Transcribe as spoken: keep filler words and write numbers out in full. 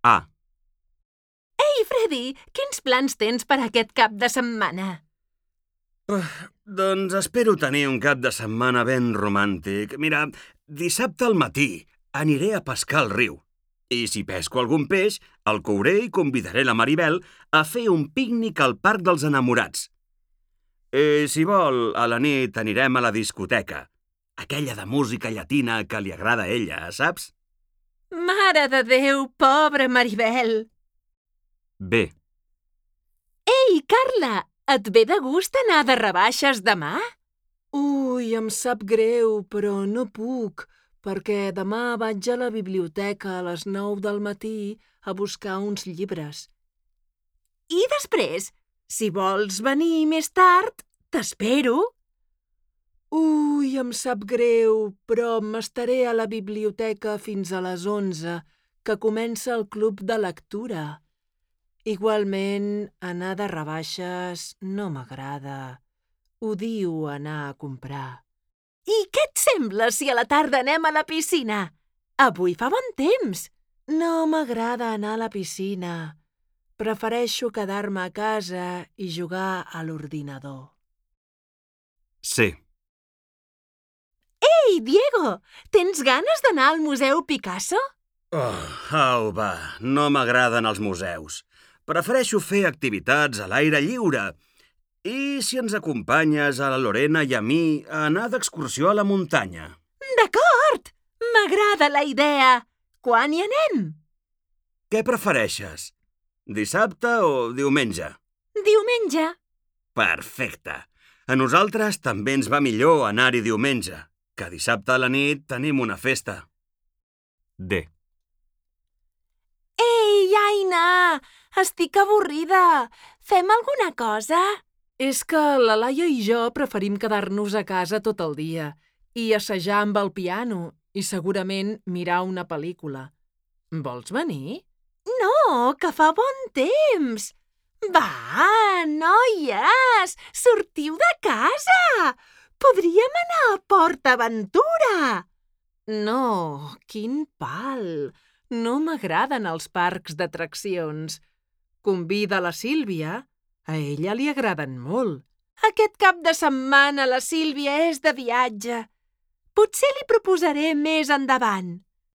A. Ei, Freddy, quins plans tens per aquest cap de setmana? Uh, doncs espero tenir un cap de setmana ben romàntic. Mira, dissabte al matí aniré a pescar al riu. I si pesco algun peix, el couré i convidaré la Maribel a fer un pícnic al Parc dels Enamorats. I si vol, a la nit anirem a la discoteca. Aquella de música llatina que li agrada a ella, saps? Mare de Déu, pobra Maribel! B. Ei, Carla, et ve de gust anar de rebaixes demà? Ui, em sap greu, però no puc, perquè demà vaig a la biblioteca a les nou del matí a buscar uns llibres. I després, si vols venir més tard, t'espero. Ui, em sap greu, però m'estaré a la biblioteca fins a les onze, que comença el club de lectura. Igualment, anar de rebaixes no m'agrada. Odio anar a comprar. I què et sembla si a la tarda anem a la piscina? Avui fa bon temps. No m'agrada anar a la piscina. Prefereixo quedar-me a casa i jugar a l'ordinador. C. Ei, Diego, tens ganes d'anar al Museu Picasso? Oh, au, va, no m'agraden els museus. Prefereixo fer activitats a l'aire lliure. I si ens acompanyes a la Lorena i a mi a anar d'excursió a la muntanya? D'acord! M'agrada la idea! Quan hi anem? Què prefereixes? Dissabte o diumenge? Diumenge. Perfecte. A nosaltres també ens va millor anar-hi diumenge, que dissabte a la nit tenim una festa. D. Ei, Aina! Estic avorrida. Fem alguna cosa? És que la Laia i jo preferim quedar-nos a casa tot el dia i assajar amb el piano i segurament mirar una pel·lícula. Vols venir? No, que fa bon temps. Va, noies, sortiu de casa. Podríem anar a Port Aventura. No, quin pal. No m'agraden els parcs d'atraccions. Convida la Sílvia. A ella li agraden molt. Aquest cap de setmana la Sílvia és de viatge. Potser li proposaré més endavant.